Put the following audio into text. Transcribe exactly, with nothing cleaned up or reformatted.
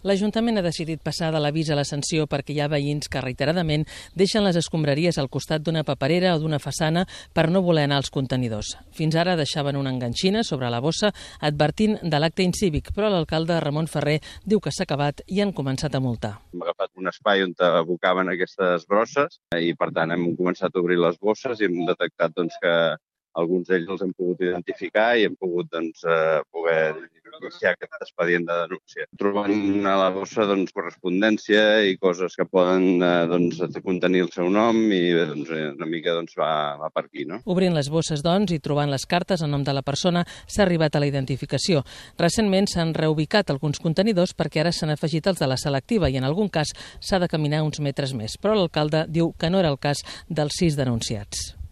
L'Ajuntament ha decidit passar de l'avís a la sanció perquè hi ha veïns que reiteradament deixen les escombraries al costat d'una paperera o d'una façana per no voler anar als contenidors. Fins ara deixaven una enganxina sobre la bossa advertint de l'acte incívic, però l'alcalde Ramon Ferrer diu que s'ha acabat i han començat a multar. Hem agafat un espai on abocaven aquestes brosses i, per tant, hem començat a obrir les bosses i hem detectat doncs, que alguns d'ells els hem pogut identificar i hem pogut doncs, eh, poder iniciar aquest expedient de denúncia. Trobant a la bossa doncs, correspondència i coses que poden eh, doncs, contenir el seu nom i doncs, una mica doncs, va, va per aquí. No? Obrint les bosses doncs, i trobant les cartes a nom de la persona s'ha arribat a la identificació. Recentment s'han reubicat alguns contenidors perquè ara s'han afegit els de la selectiva i en algun cas s'ha de caminar uns metres més. Però l'alcalde diu que no era el cas dels sis denunciats.